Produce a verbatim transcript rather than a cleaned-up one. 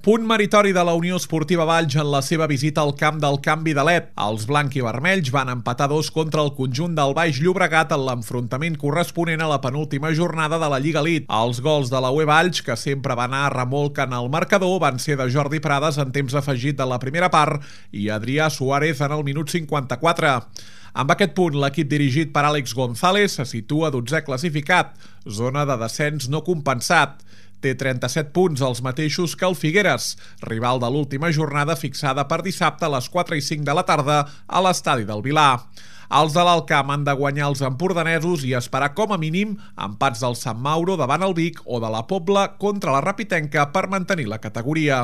Punt meritori de la Unió Esportiva Valls en la seva visita al camp del Canvi de Led. Els blanc-i-vermells van empatar dos contra el conjunt del Baix Llobregat en l'enfrontament corresponent a la penúltima jornada de la Lliga Elite. Els gols de la U E Valls, que sempre va anar a remolc en el marcador, van ser de Jordi Prades en temps afegit de la primera part i Adrià Suárez en el minut cinquanta-quatre. Amb aquest punt, l'equip dirigit per Àlex González se situa dotzè classificat, zona de descens no compensat. Té trenta-set punts, els mateixos que el Figueres, rival de l'última jornada fixada per dissabte a les quatre i cinc de la tarda a l'estadi del Vilar. Els de l'Alt Camp han de guanyar els empordanesos i esperar com a mínim empats del Sant Mauro davant el Vic o de la Pobla contra la Rapitenca per mantenir la categoria.